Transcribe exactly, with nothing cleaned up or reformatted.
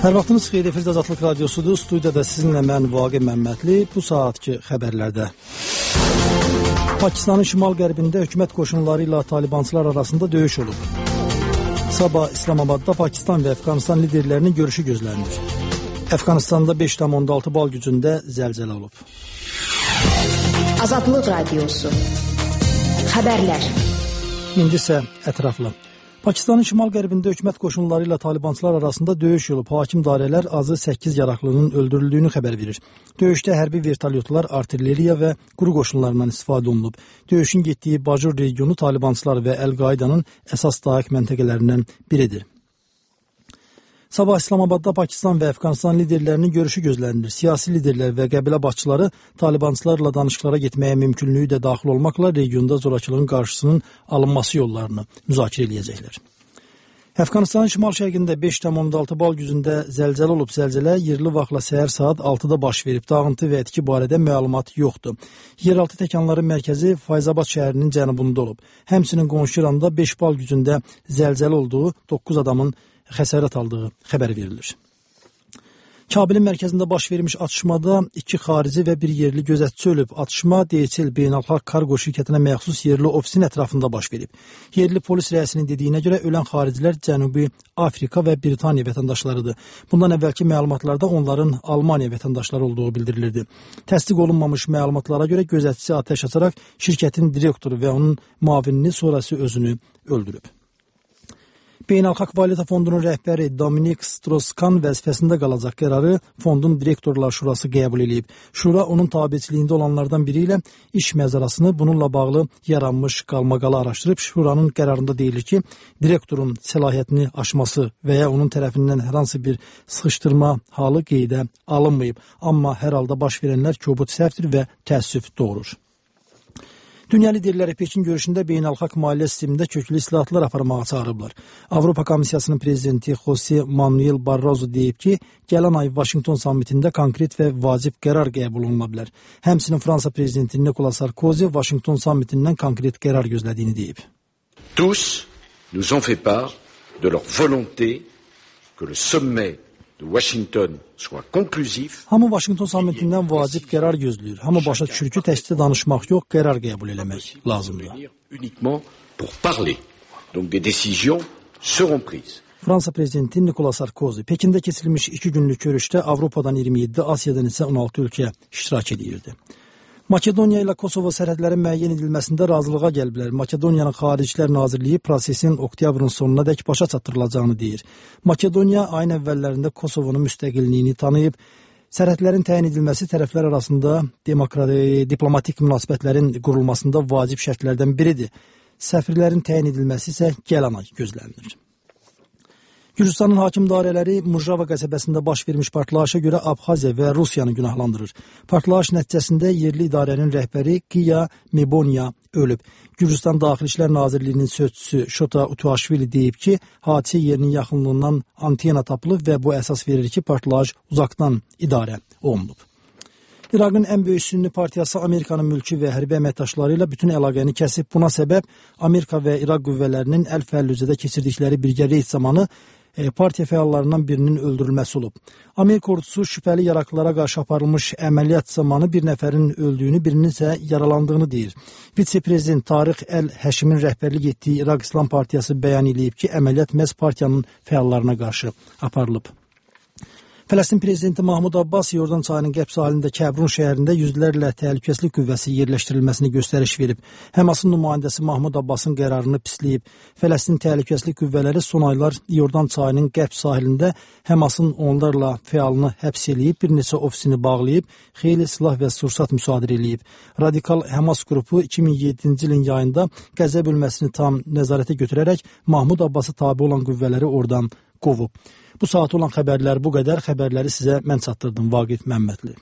Hər vaxtınız xeyir, efirdə Azadlıq Radiosudur. Studiyada sizinlə mən Vaqif Məmmədli. Bu saatki xəbərlərdə Pakistanın şimal-qərbində hökumət qoşunları ilə talibançılar arasında döyüş olub. Sabah İslamabadda Pakistan və Əfqanistan liderlərinin görüşü gözlənilir. Əfqanistanda beş tam on altı bal gücündə zəlzələ olub. Azadlıq Radiosu Xəbərlər. İndi isə ətraflı. Pakistanın şimal-qərbində hökumət qoşunları ilə talibançılar arasında döyüş olub. Hakim dairələr azı səkkiz yaraqlının öldürüldüyünü xəbər verir. Döyüşdə hərbi vertolyotlar, artilleriya və quru qoşunlarından istifadə olunub. Döyüşün getdiyi Bajur regionu talibançılar və Əl-Qaidanın əsas dayak məntəqələrindən biridir. Sabah İslamabadda Pakistan və Əfqanistan liderlərinin görüşü gözlənilir. Siyasi liderlər və qəbilə başçıları talibançılarla danışıqlara getməyə mümkünlüyü də daxil olmaqla regionda zorakılığın qarşısının alınması yollarını müzakirə edəcəklər. Əfqanistanın şimal-şərqində beş tam on altı bal gücündə zəlzələ olub. Zəlzələ yerli vaxtla səhər saat altıda baş verib. Dağıntı və etki barədə məlumat yoxdur. Yeraltı təkanların mərkəzi Fayzabad şəhərinin cənubunda olub. Həmçinin qonşu İranda beş bal gücündə zəlzələ olduğu, doqquz adamın xəsarət aldığı xəbər verilir. Kabilin mərkəzində baş vermiş atışmada iki xarici və bir yerli gözətçi ölüb. Atışma D H L Beynəlxalq Kargo şirkətinə məxsus yerli ofisin ətrafında baş verib. Yerli polis rəisinin dediyinə görə ölən xaricilər Cənubi Afrika və Britaniya vətəndaşlarıdır. Bundan əvvəlki məlumatlarda onların Almaniya vətəndaşları olduğu bildirilirdi. Təsdiq olunmamış məlumatlara görə gözətçi atəş açaraq şirkətin direktoru və onun müavinini, sonrası özünü öldürüb. Beynəlxalq Valyuta Fondunun rəhbəri Dominik Strauss-Kahn vəzifəsində qalacaq qərarı Fondun Direktorlar Şurası qəbul edib. Şura onun tabiçiliyində olanlardan biri ilə iş məzarasını bununla bağlı yaranmış qalmaqalı araşdırıb. Şuranın qərarında deyilir ki, direktorun səlahiyyətini aşması və ya onun tərəfindən hər hansı bir sıxışdırma halı qeydə alınmayıb. Amma hər halda baş verənlər kobud səhvdir və təəssüf doğurur. Dünya liderləri Pekin görüşündə beynəlxalq maliyyə sistemində köklü islahatlar aparmağa çağırıblar. Avropa Komissiyasının prezidenti Jose Manuel Barroso deyib ki, gələn ay Vaşinqton sammitində konkret və vacib qərar qəbul oluna bilər. Həmçinin Fransa prezidenti Nicolas Sarkozy Vaşinqton sammitindən konkret qərar gözlədiyini deyib. Tous nous ont fait part de leur volonté que le sommet de Washington soit conclusif. Hamı Vaşinqton sammitindən vacib qərar gözləyir. Hamı başa düşür ki, təkcə danışmaq yox, qərar qəbul eləmək lazımdır. Uniquement pour parler. Donc des décisions seront prises. Fransa prezidenti Nicolas Sarkozy Pekində keçirilmiş iki günlük görüşdə Avropadan iyirmi yeddi, Asiyadan isə on altı ölkə iştirak edirdi. Makedoniya ilə Kosovo sərhədlərin müəyyən edilməsində razılığa gəliblər. Makedoniyanın Xaricilər Nazirliyi prosesin oktyabrın sonuna dək başa çatdırılacağını deyir. Makedoniya ayın əvvəllərində Kosovonun müstəqilliyini tanıyıb. Sərhədlərin təyin edilməsi tərəflər arasında diplomatik münasibətlərin qurulmasında vacib şərtlərdən biridir. Səfirlərin təyin edilməsi isə gələn ay gözlənilir. Gürcüstanın hakim dairələri Mujrava qəsəbəsində baş vermiş partlayışa görə Abxaziya və Rusiyanı günahlandırır. Partlayış nəticəsində yerli idarənin rəhbəri Qiya Mebonya ölüb. Gürcüstan Daxili İşlər Nazirliyinin sözçüsü Şota Utuaşvili deyib ki, hadisə yerinin yaxınlığından antena tapılıb və bu əsas verir ki, partlayış uzaqdan idarə olunub. İraqın ən böyük sünni partiyası Amerikanın mülki və hərbi əməkdaşları ilə bütün əlaqəni kəsib. Buna səbəb Amerika və İraq qüvvələrinin Əl-Fəllücədə keçirdikləri birgə reyd zamanı partiya fəallarından birinin öldürülməsi olub. Amerika ordusu şübhəli yaraqlılara qarşı aparılmış əməliyyat zamanı bir nəfərin öldüyünü, birinin isə yaralandığını deyir. Vitse-prezident Tariq Əl-Həşimin rəhbərlik etdiyi İraq İslam Partiyası bəyan edib ki, əməliyyat məhz partiyanın fəallarına qarşı aparılıb. Fələstin prezidenti Mahmud Abbas Yordan çayının qərb sahilində Kəbrun şəhərində yüzlərlə təhlükəsizlik qüvvəsi yerləşdirilməsini göstəriş verib. Həmasın nümayəndəsi Mahmud Abbasın qərarını pisləyib. Fələstin təhlükəsizlik qüvvələri son aylar Yordan çayının qərb sahilində Həmasın onlarla fəalını həbs eləyib, bir neçə ofisini bağlayıb, xeyli silah və sursat müsadirə eləyib. Radikal Həmas qrupu iki min yeddinci ilin yayında Qəzə bölməsini tam nəzarətə götürərək Mahmud Abbası tabi olan qüvvələri oradan qovub. Bu saat olan xəbərlər bu qədər. Xəbərləri sizə mən çatdırdım, Vaqif Məmmədli.